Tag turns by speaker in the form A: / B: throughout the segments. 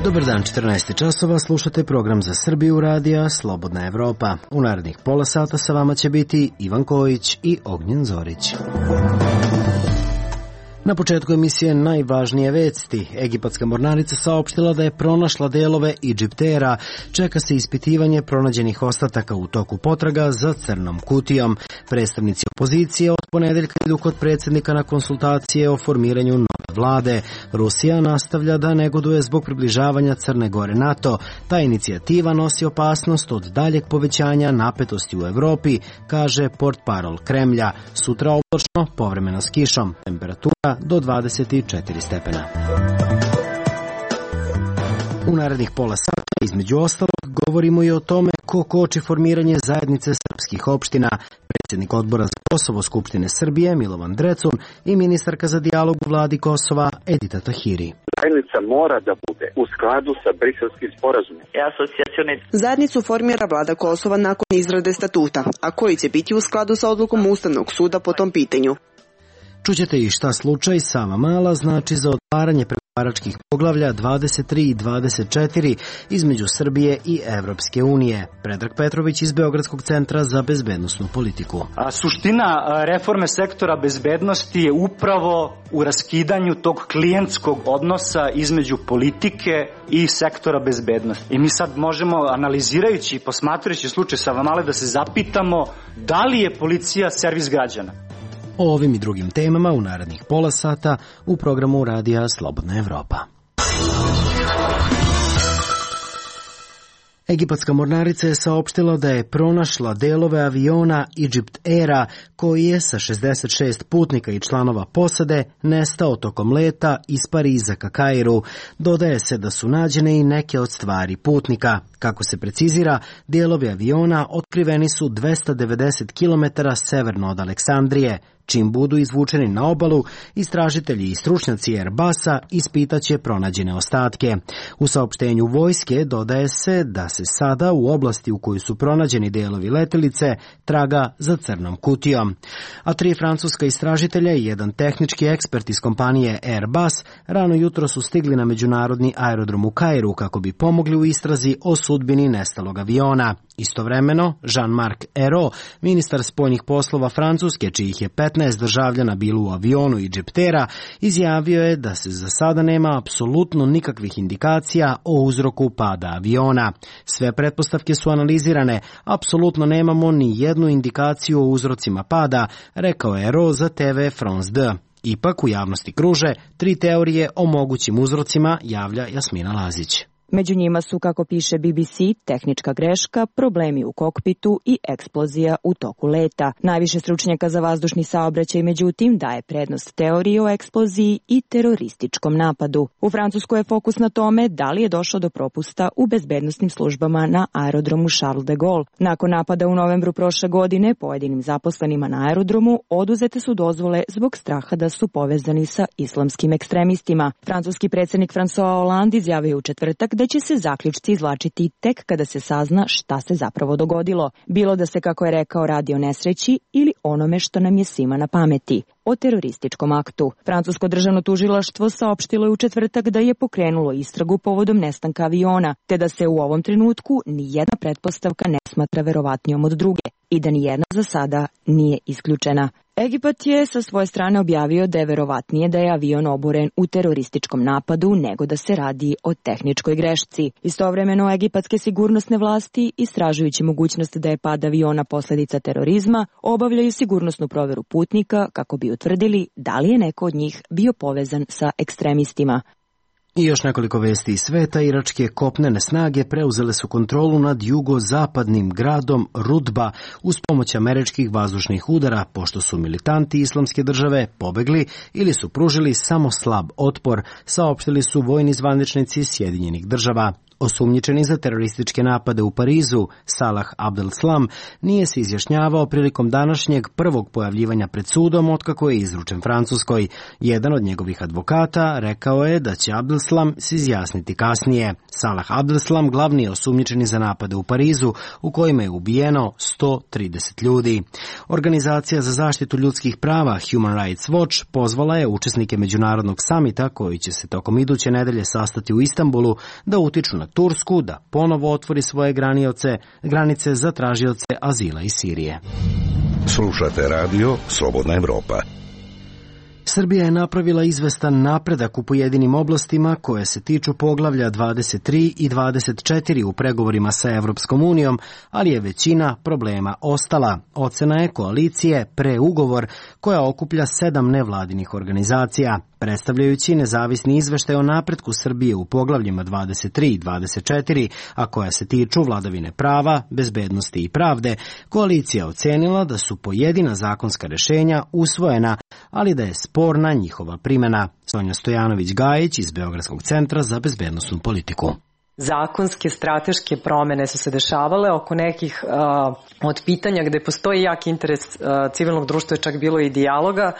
A: Dobar dan, 14 časova, slušate program za Srbiju radija Slobodna Evropa. U narednih pola sata sa vama će biti Ivan Kojić i Ognjen Zorić. Na početku emisije najvažnije vesti. Egipatska mornarica saopštila da je pronašla delove Egyptera. Čeka se ispitivanje pronađenih ostataka u toku potraga za crnom kutijom. Predstavnici opozicije od ponedeljka idu kod predsjednika na konsultacije o formiranju nove vlade. Rusija nastavlja da negoduje zbog približavanja Crne Gore NATO. Ta inicijativa nosi opasnost od daljeg povećanja napetosti u Evropi, kaže portparol Kremlja. Sutra oblačno, povremeno s kišom. Temperatura do 24 stepena. U narednih pola sata, između ostalog, govorimo i o tome ko koči formiranje zajednice srpskih opština. Predsjednik odbora za Kosovo Skupštine Srbije Milovan Drecun i ministarka za dijalog u vladi Kosova Edita Tahiri.
B: Zajednica mora da bude u skladu sa Briselskim sporazumom.
C: Zajednicu formira vlada Kosova nakon izrade statuta, a koji će biti u skladu sa odlukom Ustavnog suda po tom pitanju.
A: Čućete i šta slučaj Savamala znači za otvaranje pregovaračkih poglavlja 23 i 24 između Srbije i Evropske unije. Predrag Petrović iz Beogradskog centra za bezbednosnu politiku.
D: Suština reforme sektora bezbednosti je upravo u raskidanju tog klijentskog odnosa između politike i sektora bezbednosti. I mi sad možemo, analizirajući i posmatrajući slučaj Savamale, da se zapitamo da li je policija servis građana.
A: O ovim i drugim temama u narednih pola sata u programu radija Slobodna Evropa. Egipatska mornarica je saopštila da je pronašla delove aviona Egypt Aira koji je sa 66 putnika i članova posade nestao tokom leta iz Pariza ka Kairu. Dodaje se da su nađene i neke od stvari putnika. Kako se precizira, delovi aviona otkriveni su 290 km severno od Aleksandrije. Čim budu izvučeni na obalu, istražitelji i stručnjaci Airbusa ispitaće pronađene ostatke. U saopštenju vojske dodaje se da se sada u oblasti u kojoj su pronađeni delovi letelice traga za crnom kutijom. A 3 francuska istražitelja i jedan tehnički ekspert iz kompanije Airbus rano jutro su stigli na međunarodni aerodrom u Kairu kako bi pomogli u istrazi o sudbini nestalog aviona. Istovremeno, Jean-Marc Ayrault, ministar spoljnih poslova Francuske, čijih je 15 državljana bilo u avionu Egyptera, izjavio je da se za sada nema apsolutno nikakvih indikacija o uzroku pada aviona. Sve pretpostavke su analizirane, apsolutno nemamo ni jednu indikaciju o uzrocima pada, rekao je Ayrault za TV France 2. Ipak u javnosti kruže 3 teorije o mogućim uzrocima, javlja Jasmina Lazić.
E: Među njima su, kako piše BBC, tehnička greška, problemi u kokpitu i eksplozija u toku leta. Najviše stručnjaka za vazdušni saobraćaj, međutim, daje prednost teoriji o eksploziji i terorističkom napadu. U Francuskoj je fokus na tome da li je došlo do propusta u bezbednosnim službama na aerodromu Charles de Gaulle. Nakon napada u novembru prošle godine, pojedinim zaposlenima na aerodromu oduzete su dozvole zbog straha da su povezani sa islamskim ekstremistima. Francuski predsjednik François Hollande izjavio u četvrtak da će se zaključci izvlačiti tek kada se sazna šta se zapravo dogodilo. Bilo da se, kako je rekao, radi o nesreći ili onome što nam je svima na pameti, o terorističkom aktu. Francusko državno tužilaštvo saopštilo je u četvrtak da je pokrenulo istragu povodom nestanka aviona, te da se u ovom trenutku ni jedna pretpostavka ne smatra verovatnijom od druge i da ni jedna za sada nije isključena. Egipat je sa svoje strane objavio da je verovatnije da je avion oboren u terorističkom napadu nego da se radi o tehničkoj grešci. Istovremeno, egipatske sigurnosne vlasti, istražujući mogućnost da je pad aviona posljedica terorizma, obavljaju sigurnosnu proveru putnika kako bi utvrdili da li je neko od njih bio povezan sa ekstremistima.
A: I još nekoliko vesti iz sveta. Iračke kopnene snage preuzele su kontrolu nad jugozapadnim gradom Rudba uz pomoć američkih vazdušnih udara, pošto su militanti Islamske države pobegli ili su pružili samo slab otpor, saopštili su vojni zvaničnici Sjedinjenih država. Osumnjičeni za terorističke napade u Parizu, Salah Abdeslam nije se izjašnjavao prilikom današnjeg prvog pojavljivanja pred sudom otkako je izručen Francuskoj. Jedan od njegovih advokata rekao je da će Abdeslam se izjasniti kasnije. Salah Abdeslam glavni je osumnjičeni za napade u Parizu, u kojima je ubijeno 130 ljudi. Organizacija za zaštitu ljudskih prava Human Rights Watch pozvala je učesnike međunarodnog samita, koji će se tokom iduće nedelje sastati u Istanbulu, da utiču na Tursku da ponovo otvori svoje granice za tražioce azila iz Sirije.
F: Slušate radio Slobodna Evropa.
A: Srbija je napravila izvestan napredak u pojedinim oblastima koje se tiču poglavlja 23 i 24 u pregovorima sa Evropskom unijom, ali je većina problema ostala. Ocena je koalicije Preugovor, koja okuplja 7 nevladinih organizacija. Predstavljajući nezavisni izveštaj o napretku Srbije u poglavljima 23 i 24, a koja se tiču vladavine prava, bezbednosti i pravde, koalicija ocenila da su pojedina zakonska rešenja usvojena, ali da je sporna njihova primjena. Sonja Stojanović-Gajić iz Beogradskog centra za bezbednosnu politiku.
G: Zakonske, strateške promene su se dešavale oko nekih od pitanja gde postoji jak interes civilnog društva, čak bilo i dijaloga,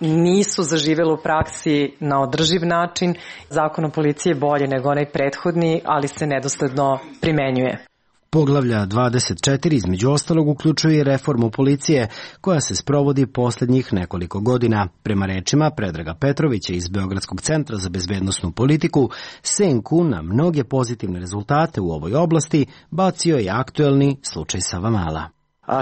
G: nisu zaživjeli u praksi na održiv način. Zakon o policiji je bolji nego onaj prethodni, ali se nedosledno primenjuje.
A: Poglavlja 24 između ostalog uključuje reformu policije koja se sprovodi posljednjih nekoliko godina. Prema rečima Predraga Petrovića iz Beogradskog centra za bezbednosnu politiku, senku na mnoge pozitivne rezultate u ovoj oblasti bacio je aktuelni slučaj Savamala.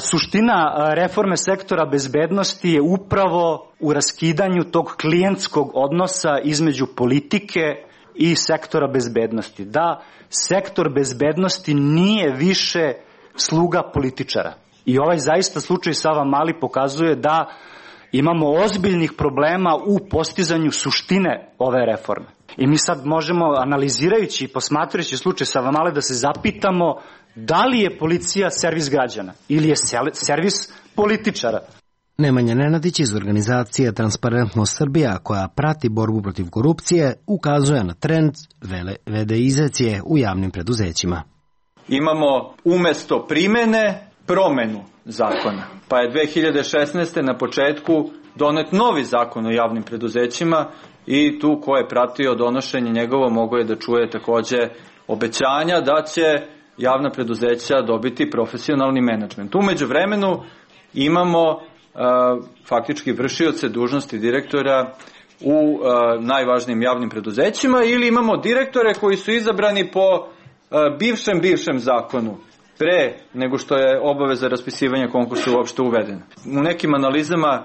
D: Suština reforme sektora bezbednosti je upravo u raskidanju tog klijentskog odnosa između politike i sektora bezbednosti. Da sektor bezbednosti nije više sluga političara. I ovaj zaista slučaj Savamali pokazuje da imamo ozbiljnih problema u postizanju suštine ove reforme. I mi sad možemo, analizirajući i posmatrajući slučaj Savamale, da se zapitamo da li je policija servis građana ili je servis političara.
A: Nemanja Nenadić iz organizacije Transparentnost Srbija, koja prati borbu protiv korupcije, ukazuje na trend vedeizacije u javnim preduzećima.
H: Imamo umesto primene promenu zakona. Pa je 2016. na početku donet novi zakon o javnim preduzećima i tu ko je pratio donošenje njegovo mogo je da čuje takođe obećanja da će javna preduzeća dobiti profesionalni menadžment. Umeđu vremenu imamo faktički vršioce dužnosti direktora u najvažnijim javnim preduzećima ili imamo direktore koji su izabrani po bivšem zakonu pre nego što je obaveza raspisivanja konkursa uopšte uvedena. U nekim analizama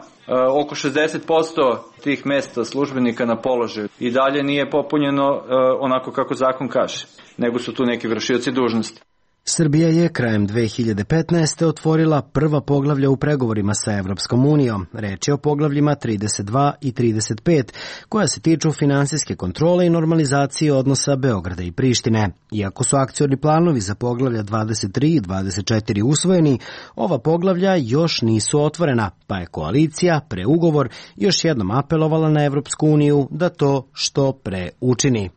H: oko 60% tih mesta službenika na položaju i dalje nije popunjeno onako kako zakon kaže, nego su tu neki vršioci dužnosti.
A: Srbija je krajem 2015. otvorila prva poglavlja u pregovorima sa Evropskom unijom. Reč je o poglavljima 32 i 35, koja se tiču finansijske kontrole i normalizacije odnosa Beograda i Prištine. Iako su akcioni planovi za poglavlja 23 i 24 usvojeni, ova poglavlja još nisu otvorena, pa je koalicija Preugovor još jednom apelovala na Evropsku uniju da to što pre učini.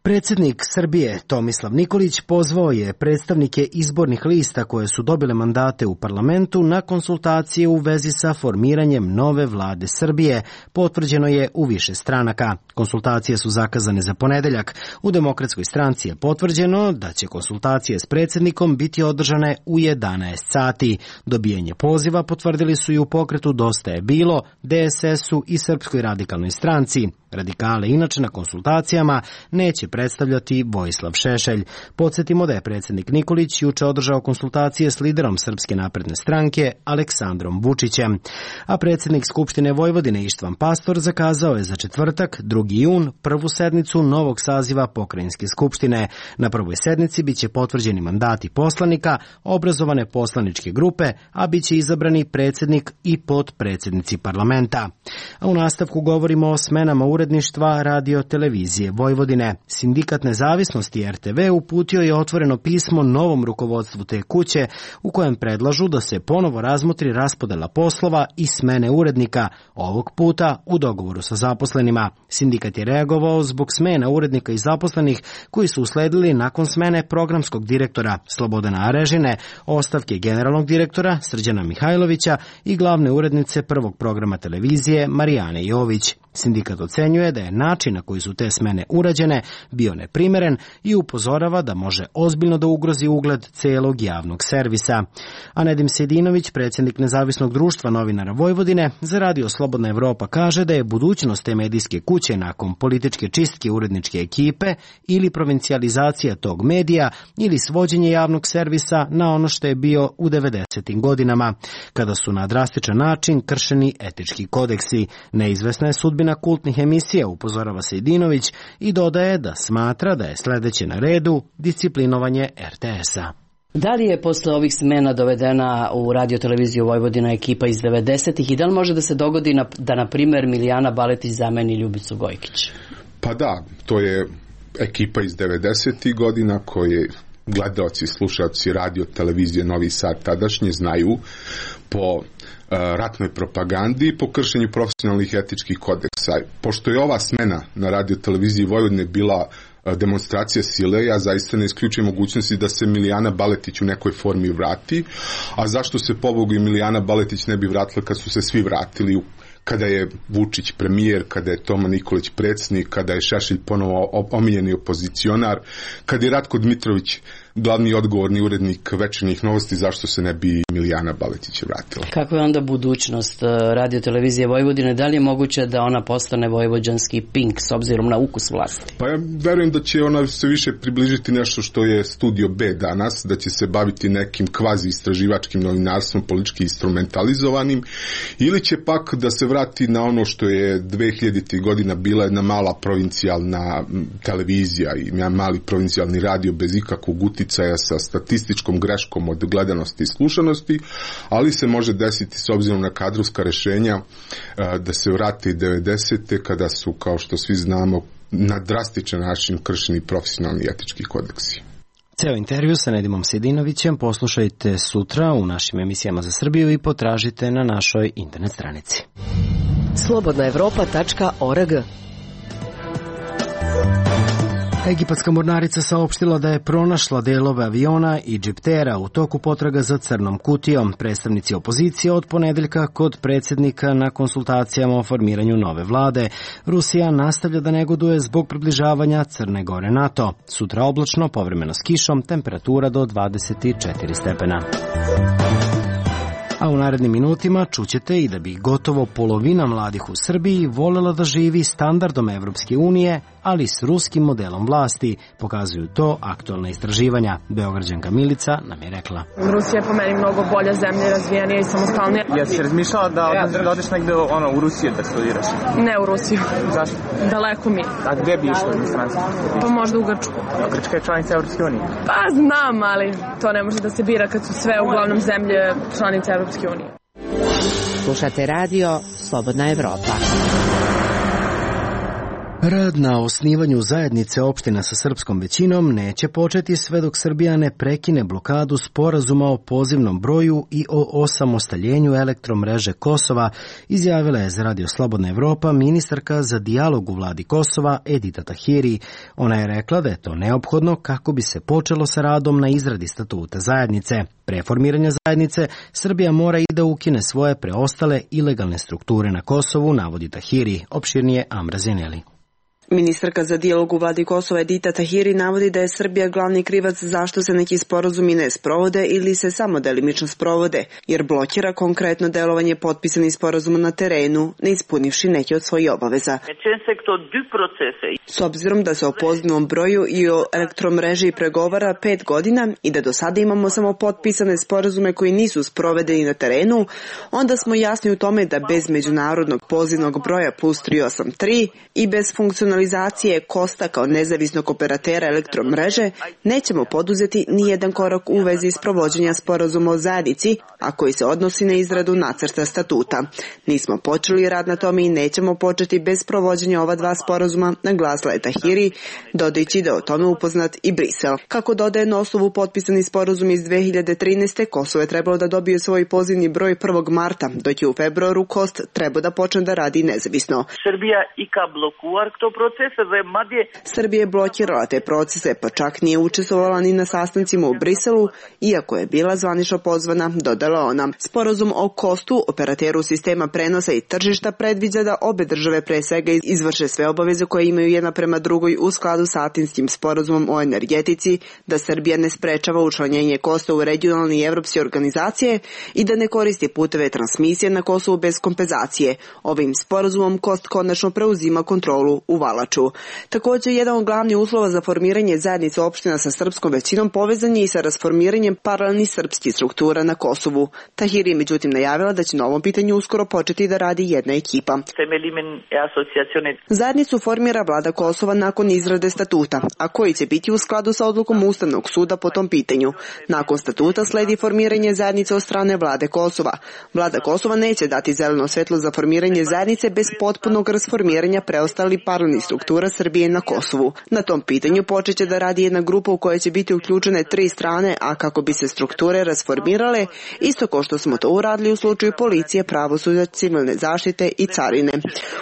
A: Predsjednik Srbije Tomislav Nikolić pozvao je predstavnike izbornih lista koje su dobile mandate u parlamentu na konsultacije u vezi sa formiranjem nove vlade Srbije, potvrđeno je u više stranaka. Konsultacije su zakazane za ponedeljak. U Demokratskoj stranci je potvrđeno da će konsultacije s predsjednikom biti održane u 11 sati. Dobijanje poziva potvrdili su i u pokretu Dosta je bilo, DSS-u i Srpskoj radikalnoj stranci. Radikale inače na konsultacijama neće predstavljati Vojislav Šešelj. Podsjetimo da je predsjednik Nikolić juče održao konsultacije s liderom Srpske napredne stranke Aleksandrom Vučićem. A predsjednik Skupštine Vojvodine Ištvan Pastor zakazao je za četvrtak, 2. jun, prvu sednicu novog saziva Pokrajinske skupštine. Na prvoj sednici biće potvrđeni mandati poslanika, obrazovane poslaničke grupe, a biće izabrani predsjednik i potpredsjednici parlamenta. A u nastavku govorimo o smenama uredništva Radio televizije Vojvodine. Sindikat nezavisnosti RTV uputio je otvoreno pismo novom rukovodstvu te kuće u kojem predlažu da se ponovo razmotri raspodela poslova i smene urednika, ovog puta u dogovoru sa zaposlenima. Sindikat je reagovao zbog smena urednika i zaposlenih koji su usledili nakon smene programskog direktora Slobodana Arežine, ostavke generalnog direktora Srđana Mihajlovića i glavne urednice prvog programa televizije Marijane Jović. Sindikat ocenjuje da je način na koji su te smene urađene bio neprimeren i upozorava da može ozbiljno da ugrozi ugled celog javnog servisa. A Nedim Sejdinović, predsjednik Nezavisnog društva novinara Vojvodine, za Radio Slobodna Evropa kaže da je budućnost te medijske kuće nakon političke čistke uredničke ekipe ili provincijalizacija tog medija ili svođenje javnog servisa na ono što je bio u 90. godinama, kada su na drastičan način kršeni etički kodeksi. Neizvesna je sudbina kultnih emisija, upozorava Sejdinović i dodaje da smatra da je sledeće na redu disciplinovanje RTS-a.
I: Da li je posle ovih smena dovedena u Radio televiziju Vojvodina ekipa iz 90-ih i da li može da se dogodi da, na primjer, Milijana Baletić zameni Ljubicu Gojkić?
J: Pa da, to je ekipa iz 90-ih godina koje gledaoci i slušaoci Radio televizije Novi Sad tadašnje znaju po ratnoj propagandi i po kršenju profesionalnih etičkih kodeksa. Pošto je ova smena na Radio televiziji Vojvodine bila demonstracija sile, ja zaista ne isključujem mogućnosti da se Milijana Baletić u nekoj formi vrati, a zašto se pobogu i Milijana Baletić ne bi vratila kad su se svi vratili, kada je Vučić premijer, kada je Toma Nikolić predsjednik, kada je Šešelj ponovo omiljeni opozicionar, kada je Ratko Dmitrović glavni odgovorni urednik Večernjih novosti, zašto se ne bi Milijana Baletić vratila.
I: Kako je onda budućnost Radio televizije Vojvodine? Da li je moguće da ona postane vojvođanski Pink s obzirom na ukus vlasti?
J: Pa ja verujem da će ona se više približiti nešto što je Studio B danas, da će se baviti nekim kvazi istraživačkim novinarstvom, politički instrumentalizovanim, ili će pak da se vrati na ono što je 2000. godina bila jedna mala provincijalna televizija i mali provincijalni radio bez ikakvog uticaja sa statističkom greškom od gledanosti i slušanosti, ali se može desiti s obzirom na kadrovska rešenja da se vrati 90. kada su, kao što svi znamo, na drastičan način kršeni profesionalni etički kodeksi.
A: Ceo intervju sa Nedimom Sejdinovićem poslušajte sutra u našim emisijama za Srbiju i potražite na našoj internet stranici.
K: slobodnaevropa.org.
A: Egipatska mornarica saopštila da je pronašla delove aviona i džiptera u toku potraga za crnom kutijom. Predstavnici opozicije od ponedeljka kod predsjednika na konsultacijama o formiranju nove vlade. Rusija nastavlja da negoduje zbog približavanja Crne Gore NATO. Sutra oblačno, povremeno s kišom, temperatura do 24 stepena. A u narednim minutima čućete i da bi gotovo polovina mladih u Srbiji voljela da živi standardom Evropske unije, ali s ruskim modelom vlasti. Pokazuju to aktualna istraživanja. Beograđanka Milica nam je rekla.
L: Rusija je po meni mnogo bolja zemlja, razvijenija i samostalnija.
M: Jesi razmišljala da odeš negde u Rusiju da studiraš?
L: Ne u Rusiju.
M: Zašto?
L: Daleko mi.
M: A gde bi išla u inostranstvo?
L: Pa možda u Grčku.
M: Grčka je članica Evropske unije?
L: Pa znam, ali to ne može da se bira kad su sve uglavnom zemlje članice Evropske unije.
K: Slušate radio Slobodna Evropa.
A: Rad na osnivanju zajednice opština sa srpskom većinom neće početi sve dok Srbija ne prekine blokadu sporazuma o pozivnom broju i o osamostaljenju elektromreže Kosova, izjavila je za Radio Slobodna Evropa ministarka za dijalog u vladi Kosova Edita Tahiri. Ona je rekla da je to neophodno kako bi se počelo sa radom na izradi statuta zajednice. Pre formiranja zajednice, Srbija mora i da ukine svoje preostale ilegalne strukture na Kosovu, navodi Tahiri. Opširnije Amra Zeneli.
C: Ministarka za dijalog u vladi Kosova Edita Tahiri navodi da je Srbija glavni krivac zašto se neki sporazumi ne sprovode ili se samo delimično sprovode, jer blokira konkretno delovanje potpisanih sporazuma na terenu, ne ispunivši neke od svojih obaveza. S obzirom da se o pozivnom broju i o elektromreži pregovara 5 godina i da do sada imamo samo potpisane sporazume koji nisu sprovedeni na terenu, onda smo jasni u tome da bez međunarodnog pozivnog broja plus 383 i bez funkcionalizacije Kosta kao nezavisnog operatera elektromreže nećemo poduzeti ni jedan korak u vezi s provođenja sporazuma o zajednici, a koji se odnosi na izradu nacrta statuta. Nismo počeli rad na tome i nećemo početi bez provođenja ova dva sporazuma, naglasila je Tahiri, dodajući da je o tome upoznat i Brisel. Kako dodaje na osnovu potpisani sporazum iz 2013. Kosovo je trebalo da dobije svoj pozivni broj 1. marta, dok je u februaru Kost trebao da počne da radi nezavisno.
N: Srbija i ka blokuar to
C: Srbija je blokirala te procese, pa čak nije učestvovala ni na sastancima u Briselu, iako je bila zvanično pozvana, dodala ona. Sporazum o Kostu, operateru sistema prenosa i tržišta, predviđa da obe države pre svega izvrše sve obaveze koje imaju jedna prema drugoj u skladu sa Atinskim sporazumom o energetici, da Srbija ne sprečava učlanjenje Kosta u regionalne i evropske organizacije i da ne koristi puteve transmisije na Kosovu bez kompenzacije. Ovim sporazumom Kost konačno preuzima kontrolu u Valaču. Također, jedan od glavnih uslova za formiranje zajednice opština sa srpskom većinom povezan je i sa rasformiranjem paralelnih srpskih struktura na Kosovu. Tahiri je međutim najavila da će na ovom pitanju uskoro početi da radi jedna ekipa. Zajednicu formira vlada Kosova nakon izrade statuta, a koji će biti u skladu sa odlukom Ustavnog suda po tom pitanju. Nakon statuta sledi formiranje zajednice od strane vlade Kosova. Vlada Kosova neće dati zeleno svetlo za formiranje zajednice bez potpunog rasformiranja preostalih paralelnih struktura Srbije na Kosovu. Na tom pitanju počeće da radi jedna grupa u kojoj će biti uključene 3 strane, a kako bi se strukture rasformirale, isto kao što smo to uradili u slučaju policije, pravosuđa, civilne zaštite i carine.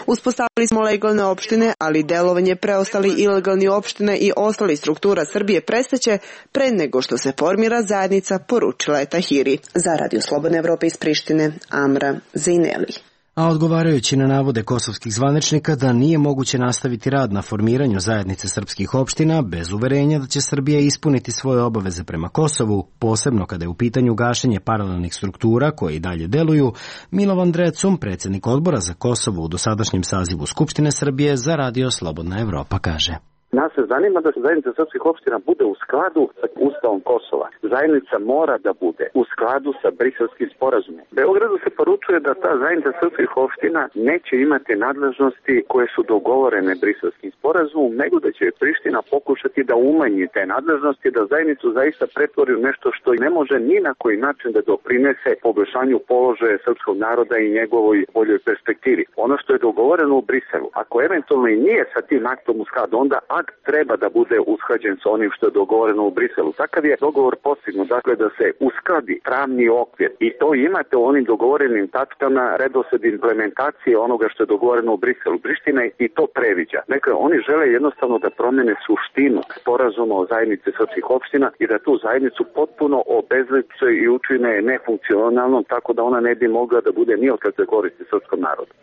C: Uspostavili smo legalne opštine, ali delovanje preostali ilegalni opštine i ostali struktura Srbije prestaće pre nego što se formira zajednica, poručila je Tahiri. Za Radio Slobodne Evrope iz Prištine, Amra Zejneli.
A: A odgovarajući na navode kosovskih zvaničnika da nije moguće nastaviti rad na formiranju zajednice srpskih opština bez uverenja da će Srbija ispuniti svoje obaveze prema Kosovu, posebno kada je u pitanju gašenje paralelnih struktura koje i dalje deluju, Milovan Drecun, predsjednik odbora za Kosovo u dosadašnjem sazivu Skupštine Srbije, za Radio Slobodna Evropa kaže:
B: Nas se zanima da se zajednica srpskih opština bude u skladu sa Ustavom Kosova. Zajednica mora da bude u skladu sa Briselskim sporazumom. Beogradu se poručuje da ta zajednica srpskih opština neće imati nadležnosti koje su dogovorene Briselskim sporazumom, nego da će Priština pokušati da umanji te nadležnosti, da zajednicu zaista pretvori u nešto što ne može ni na koji način da doprinese poboljšanju položaja srpskog naroda i njegovoj boljoj perspektivi. Ono što je dogovoreno u Briselu, ako eventualno i nije sa tim aktom u skladu, onda akt treba da bude usklađen sa onim što je dogovoreno u Briselu. Takav je dogovor postignut, dakle da se uskladi pravni okvir i to imate u onim dogovorenim tačkama redosled implementacije onoga što je dogovoreno u Briselu. Priština i to previđa. Dakle, oni žele jednostavno da promene suštinu sporazuma o zajednici srpskih opština i da tu zajednicu potpuno obezliče i učine nefunkcionalnom, tako da ona ne bi mogla da bude ni od kakve koristi srpskom narodu.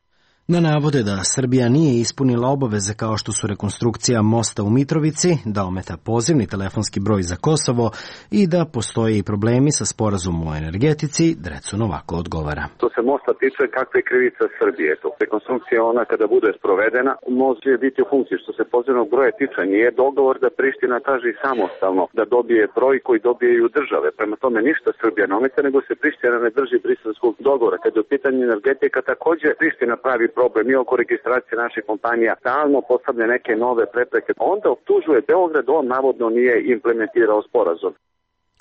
A: Na navode da Srbija nije ispunila obaveze kao što su rekonstrukcija mosta u Mitrovici, da ometa pozivni telefonski broj za Kosovo i da postoje i problemi sa sporazumom o energetici, Drecun ovako odgovara.
B: Što se mosta tiče, kakva je krivica Srbije? To rekonstrukcija ona kada bude sprovedena, može biti u funkciji. Što se pozivnog broja tiče, nije dogovor da Priština traži samostalno da dobije broj koji dobijaju države. Prema tome ništa Srbija ne ometa, nego se Priština ne drži briselskog dogovora. Kada je u pitanju energetika, također Priština pravi problem i oko registracije naših kompanija, stalno postavlja neke nove prepreke. Onda optužuje Beograd, on navodno nije implementirao sporazum.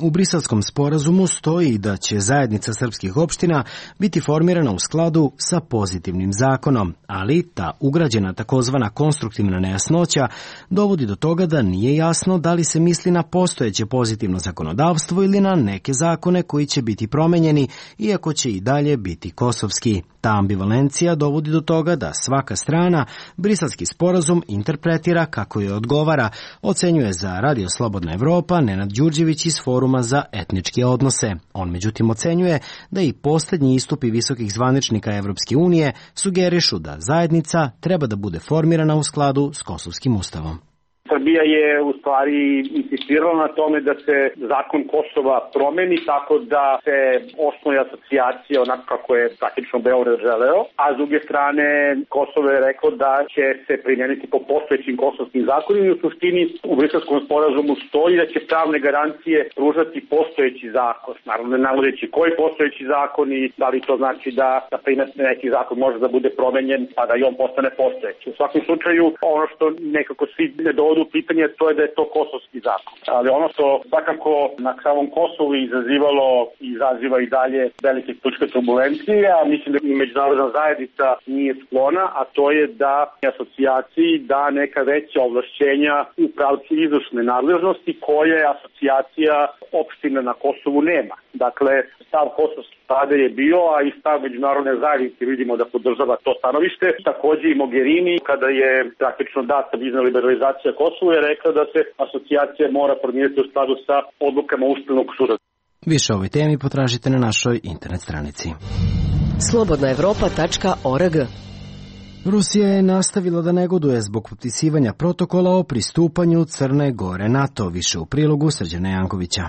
A: U Briselskom sporazumu stoji da će zajednica srpskih opština biti formirana u skladu sa pozitivnim zakonom, ali ta ugrađena takozvana konstruktivna nejasnoća dovodi do toga da nije jasno da li se misli na postojeće pozitivno zakonodavstvo ili na neke zakone koji će biti promenjeni, iako će i dalje biti kosovski. Ta ambivalencija dovodi do toga da svaka strana Briselski sporazum interpretira kako je odgovara, ocenjuje za Radio Slobodna Evropa Nenad Đurđević iz Foruma za etničke odnose. On međutim ocenjuje da i posljednji istupi visokih zvaničnika Evropske unije sugerišu da zajednica treba da bude formirana u skladu s Kosovskim ustavom.
N: Srbija je u stvari insistirala na tome da se zakon Kosova promeni tako da se osnuje asocijacija onako kako je praktično Beograd želeo, a s druge strane Kosovo je rekao da će se primijeniti po postojećim kosovskim zakonima i u suštini u Briselskom sporazumu stoji da će pravne garancije pružati postojeći zakon. Naravno ne navodeći koji postojeći zakon i da li to znači da na primjer neki zakon može da bude promenjen pa da i on postane postojeći. U svakom slučaju ono što nekako svi ne dovodu pitanje, to je da je to kosovski zakon. Ali ono što svakako na samom Kosovu izazivalo i izaziva i dalje velike političke turbulencije, a mislim da i međunarodna zajednica nije sklona, a to je da asocijaciji da neka veća ovlašćenja u pravcu izvršne nadležnosti koje asocijacija opština na Kosovu nema. Dakle, stav kosovske vlade je bio, a i stav međunarodne zajednice vidimo da podržava to stanovište. Takođe i Mogherini, kada je praktično data vizna liberalizacija Kosovu, je rekla da se asocijacija mora formirati u skladu sa odlukama Ustavnog suda.
A: Više o ovoj temi potražite na našoj internet stranici.
K: Slobodnaevropa.org.
A: Rusija je nastavila da negoduje zbog potpisivanja protokola o pristupanju Crne Gore NATO, više u prilogu Srđana Jankovića.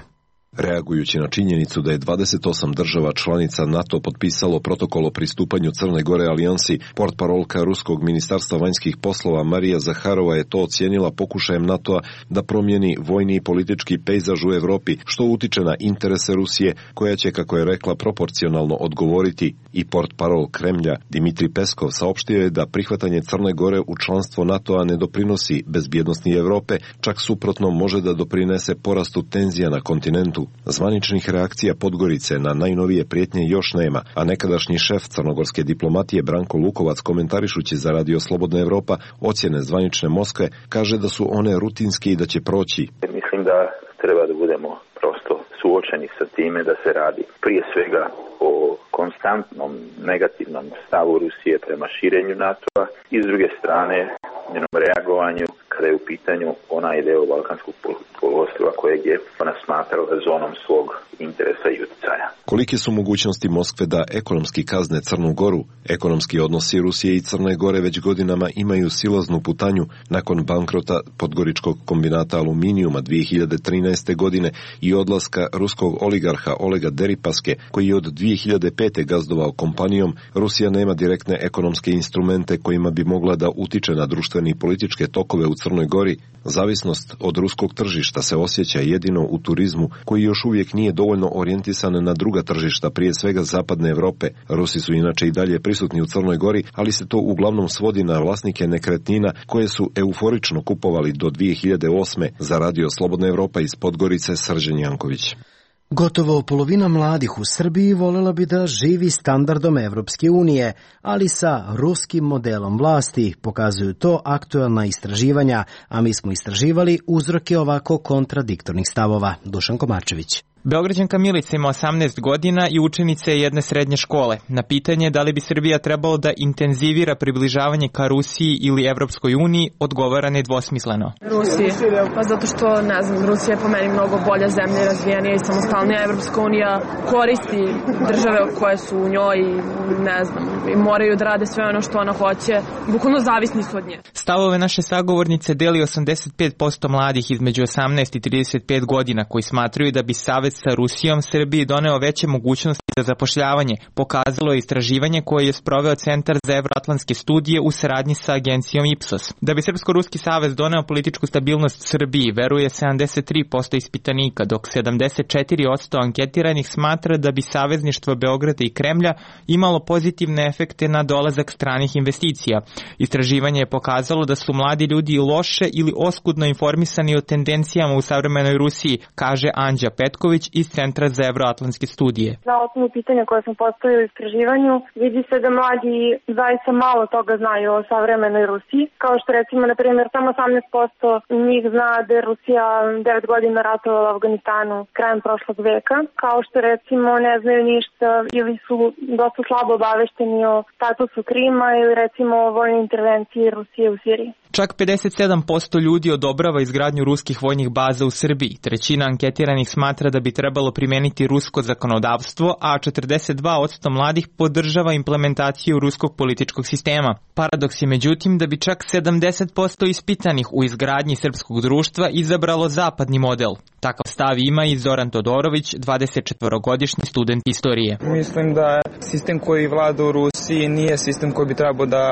O: Reagujući na činjenicu da je 28 država članica NATO potpisalo protokol o pristupanju Crne Gore alijansi, portparolka Ruskog ministarstva vanjskih poslova Marija Zaharova je to ocijenila pokušajem NATO-a da promijeni vojni i politički pejzaž u Evropi, što utiče na interese Rusije, koja će, kako je rekla, proporcionalno odgovoriti. I portparol Kremlja Dimitrij Peskov saopštio je da prihvatanje Crne Gore u članstvo NATO-a ne doprinosi bezbjednosti Evrope, čak suprotno može da doprinese porastu tenzija na kontinentu. Zvaničnih reakcija Podgorice na najnovije prijetnje još nema, a nekadašnji šef crnogorske diplomatije Branko Lukovac, komentarišući za Radio Slobodna Evropa ocjene zvanične Moskve, kaže da su one rutinske i da će proći.
P: Mislim da treba da budemo prosto suočeni sa time da se radi prije svega o konstantnom negativnom stavu Rusije prema širenju NATO-a i s druge strane njenom reagovanju kada je u pitanju onaj deo Balkanskog poluostrva kojeg je ona smatrala zonom svog interesa i utjecaja.
O: Kolike su mogućnosti Moskve da ekonomski kazne Crnu Goru? Ekonomski odnosi Rusije i Crne Gore već godinama imaju silaznu putanju nakon bankrota podgoričkog kombinata aluminijuma 2013. godine i odlaska ruskog oligarha Olega Deripaske, koji je od 2005. gazdovao kompanijom. Rusija nema direktne ekonomske instrumente kojima bi mogla da utiče na društvene i političke tokove u Crnoj Gori. Zavisnost od ruskog tržišta se osjeća jedino u turizmu, koji još uvijek nije dovoljno orijentisan na druga tržišta, prije svega zapadne Evrope. Rusi su inače i dalje prisutni u Crnoj Gori, ali se to uglavnom svodi na vlasnike nekretnina koje su euforično kupovali do 2008. Za Radio Slobodna Evropa iz Podgorice, Srđan Janković.
A: Gotovo polovina mladih u Srbiji voljela bi da živi standardom Evropske unije, ali sa ruskim modelom vlasti, pokazuju to aktuelna istraživanja, a mi smo istraživali uzroke ovako kontradiktornih stavova. Dušan Komarčević.
Q: Beograđanka Milica ima 18 godina i učenica je jedne srednje škole. Na pitanje da li bi Srbija trebalo da intenzivira približavanje ka Rusiji ili Evropskoj uniji, odgovara nedvosmisleno.
L: Rusiji, pa zato što, ne znam, Rusija je po meni mnogo bolja zemlja, razvijenija i samostalnija. Evropska unija koristi države koje su u njoj i, ne znam, i moraju da rade sve ono što ona hoće. Bukvalno zavisni su od nje.
Q: Stavove naše sagovornice deli 85% mladih između 18 i 35 godina koji smatraju da bi savez sa Rusijom Srbiji doneo veće mogućnosti za zapošljavanje, pokazalo je istraživanje koje je sproveo Centar za evroatlantske studije u saradnji sa agencijom Ipsos. Da bi Srpsko-Ruski savez doneo političku stabilnost Srbiji, veruje 73% ispitanika, dok 74% anketiranih smatra da bi savezništvo Beograda i Kremlja imalo pozitivne efekte na dolazak stranih investicija. Istraživanje je pokazalo da su mladi ljudi loše ili oskudno informisani o tendencijama u savremenoj Rusiji, kaže Anđa Petković iz Centra za evroatlantske studije.
R: Na osnovu pitanja koje sam postavila u istraživanju, vidi se da mladi zaista malo toga znaju o savremenoj Rusiji. Kao što recimo, na primjer, samo 18% njih zna da je Rusija 9 godina ratovala u Afganistanu krajem prošlog veka. Kao što recimo ne znaju ništa ili su dosta slabo obavešteni o statusu Krima ili recimo o vojnoj intervenciji Rusije u Siriji.
Q: Čak 57% ljudi odobrava izgradnju ruskih vojnih baza u Srbiji. Trećina anketiranih smatra da bi trebalo primeniti rusko zakonodavstvo, a 42% mladih podržava implementaciju ruskog političkog sistema. Paradoks je međutim da bi čak 70% ispitanih u izgradnji srpskog društva izabralo zapadni model. Takav stav ima i Zoran Todorović, 24-godišnji student istorije.
M: Mislim da sistem koji vlada u Rusiji nije sistem koji bi trebao da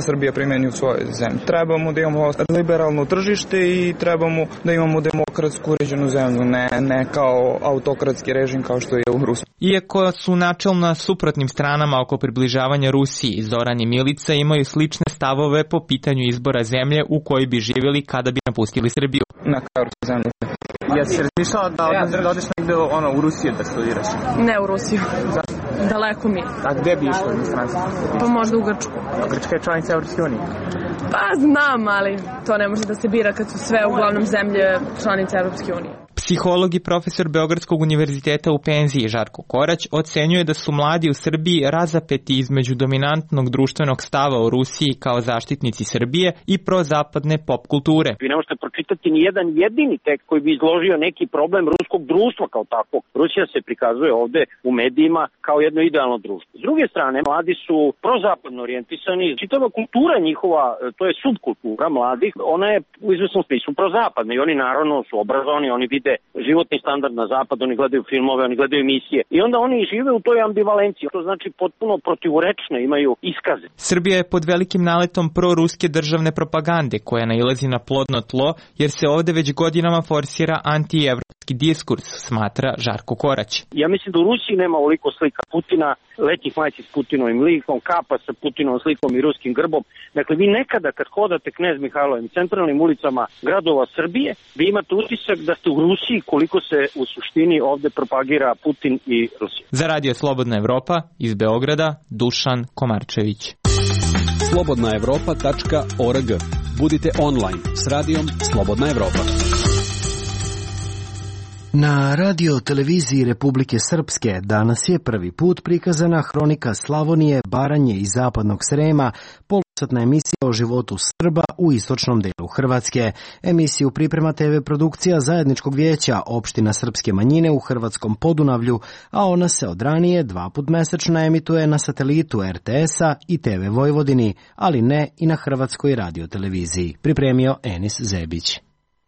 M: Srbija primeni u svojoj zemlji. trebamo da imamo liberalno tržište i trebamo da imamo demokratsku uređenu zemlju, ne kao autokratski režim kao što je u Rusiji.
Q: Iako su načelno na suprotnim stranama oko približavanja Rusiji, Zoran i Milica imaju slične stavove po pitanju izbora zemlje u kojoj bi živjeli kada bi napustili Srbiju.
M: Na kao zemlju. Jesi razmišljala da odeš negde u Rusiju da studiraš?
L: Ne u Rusiju. Daleko mi.
M: A gde bi išla u inostranstvo?
L: Pa možda u Grčku.
M: A Grčka je članica Evropske unije?
L: Pa znam, ali to ne može da se bira kad su sve uglavnom zemlje članice Evropske unije.
Q: Psiholog i profesor Beogradskog univerziteta u penziji Žarko Korać ocenjuje da su mladi u Srbiji razapeti između dominantnog društvenog stava o Rusiji kao zaštitnici Srbije i prozapadne pop kulture.
S: Vi ne možete pročitati ni jedan jedini tekst koji bi izložio neki problem ruskog društva kao takvog. Rusija se prikazuje ovde u medijima kao jedno idealno društvo. S druge strane, mladi su prozapadno orijentisani. Čitava kultura njihova, to je subkultura mladih, ona je u izvesnom smislu prozapadna i oni naravno su obrazovani, oni vide životni standard na zapad, oni gledaju filmove, oni gledaju emisije i onda oni žive u toj ambivalenciji, to znači potpuno protivurečne imaju iskaze.
Q: Srbija je pod velikim naletom proruske državne propagande koja nailazi na plodno tlo jer se ovde već godinama forsira antievropski diskurs, smatra Žarko Korać.
S: Ja mislim da u Rusiji nema ovoliko slika Putina, letnjih majci s Putinovim likom, kapa sa Putinovom slikom i ruskim grbom. Dakle, vi nekada kad hodate Knez Mihajlovim centralnim ulicama gradova Srbije, vi imate utisak da ste u Rusiji koliko se u suštini ovde propagira Putin i Rusija.
Q: Za Radio Slobodna Evropa iz Beograda, Dušan Komarčević.
T: slobodnaevropa.org. Budite online s radijom Slobodna Evropa.
A: Na radio televiziji Republike Srpske danas je prvi put prikazana hronika Slavonije, Baranje i Zapadnog Srema, polosatna emisija o životu Srba u istočnom delu Hrvatske. Emisiju priprema TV produkcija Zajedničkog vijeća opština srpske manjine u Hrvatskom Podunavlju, a ona se od ranije 2 puta mesečno emituje na satelitu RTS-a i TV Vojvodini, ali ne i na Hrvatskoj radioteleviziji. Pripremio Enis Zebić.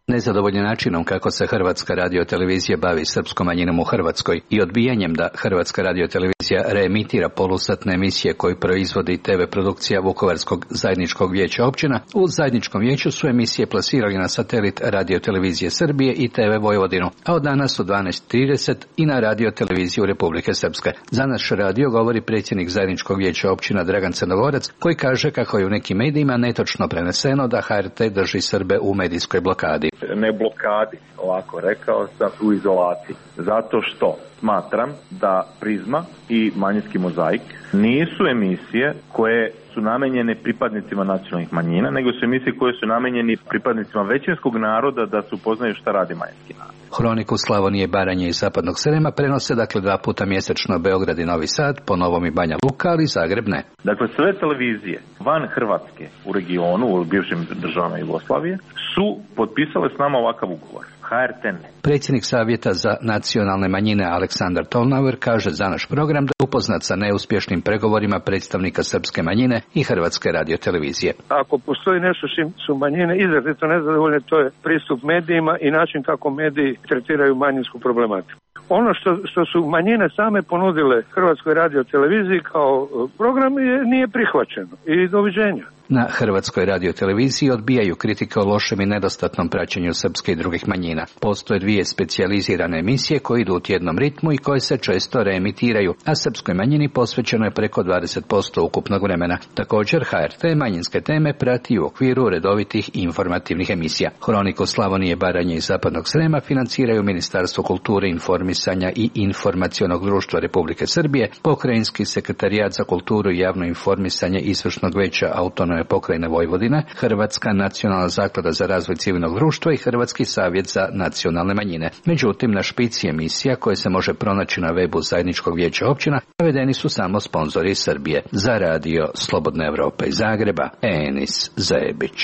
U: Nezadovoljni načinom kako se Hrvatska radiotelevizija bavi srpskom manjinom u Hrvatskoj i odbijanjem da Hrvatska radiotelevizija reemitira polusatne emisije koje proizvodi TV produkcija Vukovarskog zajedničkog vijeća općina, u zajedničkom vijeću su emisije plasirali na satelit radiotelevizije Srbije i TV Vojvodinu, a od danas u 12:30 i na radioteleviziju Republike Srpske. Za naš radio govori predsjednik zajedničkog vijeća općina Dragan Crnogorac, koji kaže kako je u nekim medijima netočno preneseno da HRT drži Srbe u medijskoj blokadi.
V: Ne blokadi, ovako rekao sam, u izolaciji. Zato što smatram da Prizma i Manjinski mozaik nisu emisije koje su namenjene pripadnicima nacionalnih manjina, nego su emisije koje su namenjeni pripadnicima većinskog naroda da se upoznaju šta radi manjinski narod.
U: Hroniku Slavonije, Baranje i Zapadnog Srema prenose dakle 2 puta mjesečno Beograd i Novi Sad, po Novom i Banja Luka, ali Zagreb ne.
V: Dakle, sve televizije van Hrvatske u regionu, u bivšim državama Jugoslavije, su potpisale s nama ovakav ugovor. HRT ne.
U: Predsjednik Savjeta za nacionalne manjine Aleksandar Tolnauer kaže za naš program da je upoznat sa neuspješnim pregovorima predstavnika srpske manjine i Hrvatske radiotelevizije.
W: Ako postoji nešto s čim su manjine izrazito nezadovoljne, to je pristup medijima i način kako mediji tretiraju manjinsku problematiku. Ono što su manjine same ponudile Hrvatskoj radioteleviziji kao program nije prihvaćeno i doviđenja.
U: Na Hrvatskoj radioteleviziji odbijaju kritike o lošem i nedostatnom praćenju srpske i drugih manjina. Postoje 2 specijalizirane emisije koje idu u tjednom ritmu i koje se često reemitiraju, a srpskoj manjini posvećeno je preko 20% ukupnog vremena. Također HRT manjinske teme prati u okviru redovitih informativnih emisija. Hroniku Slavonije, Baranje i Zapadnog Srema financiraju Ministarstvo kulture, informisanja i informacionog društva Republike Srbije, Pokrajinski sekretarijat za kulturu i javno informisanje Izvršnog veća Autonomne pokrajine Vojvodine, Hrvatska nacionalna zaklada za razvoj civilnog društva i Hrvatski savjet za nacionalne manjine. Međutim, na špici emisija koje se može pronaći na webu Zajedničkog vijeća općina navedeni su samo sponzori Srbije. Za radio Slobodna Evropa iz Zagreba, Enis Zebić.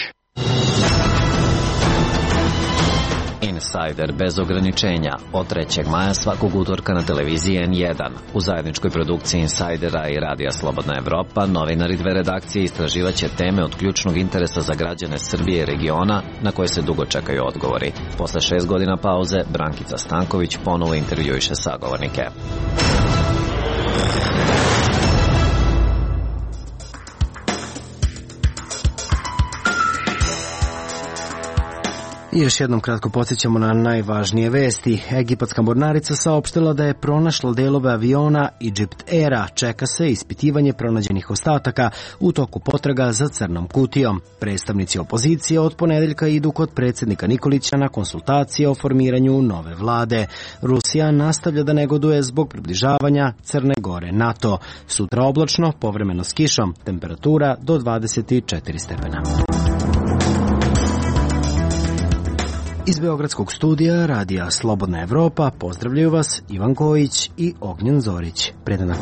X: Insider bez ograničenja od 3. maja svakog utorka na televiziji N1. U zajedničkoj produkciji Insidera i Radija Slobodna Evropa novinari 2 redakcije istraživaće teme od ključnog interesa za građane Srbije i regiona na koje se dugo čekaju odgovori. Posle 6 godina pauze, Brankica Stanković ponovo intervjuiše sagovornike.
A: I još jednom kratko podsjećamo na najvažnije vesti. Egipatska mornarica saopštila da je pronašla delove aviona Egypt Aira. Čeka se ispitivanje pronađenih ostataka u toku potraga za crnom kutijom. Predstavnici opozicije od ponedeljka idu kod predsjednika Nikolića na konsultacije o formiranju nove vlade. Rusija nastavlja da negoduje zbog približavanja Crne Gore NATO. Sutra oblačno, povremeno s kišom, temperatura do 24 stepena. Iz Beogradskog studija radija Slobodna Evropa pozdravljaju vas Ivan Kojić i Ognjen Zorić. Predana.